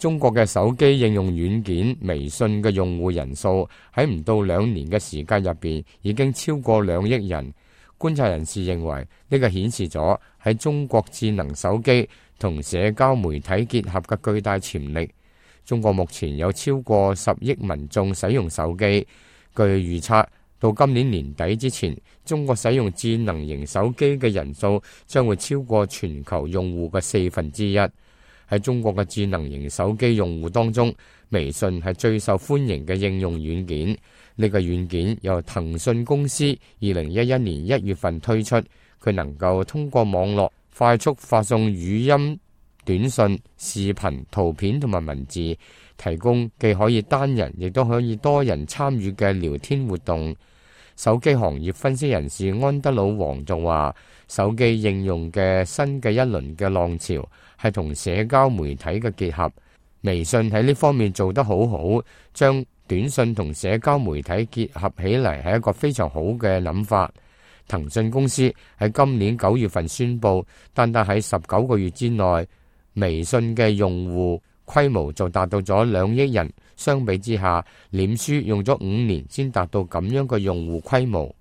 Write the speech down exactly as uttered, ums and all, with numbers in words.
中國嘅手機應用軟件微信嘅用戶人數喺唔到兩年嘅時間入邊已經超過兩億人。觀察人士認為，呢個顯示咗喺中國智能手機同社交媒體結合嘅巨大潛力。中國目前有超過十億民眾使用手機，據預測到今年年底之前，中國使用智能型手機嘅人數將會超過全球用戶嘅四分之一。喺中國嘅智能型手機用戶當中，微信係最受歡迎嘅應用軟件。呢個軟件由騰訊公司二零一一年一月份推出，佢能夠通過網絡快速發送語音、短信、視頻、圖片同埋文字，提供既可以單人亦都可以多人參與嘅聊天活動。手機行業分析人士安德魯王就話，手機應用嘅新嘅一輪嘅浪潮係同社交媒體嘅結合。微信喺呢方面做得好好，將短信同社交媒體結合起嚟係一個非常好嘅諗法。騰訊公司喺今年九月份宣布，單單喺十九個月之內，微信嘅用戶規模就達到咗兩億人。相比之下，臉書用咗五年先達到咁樣嘅用戶規模。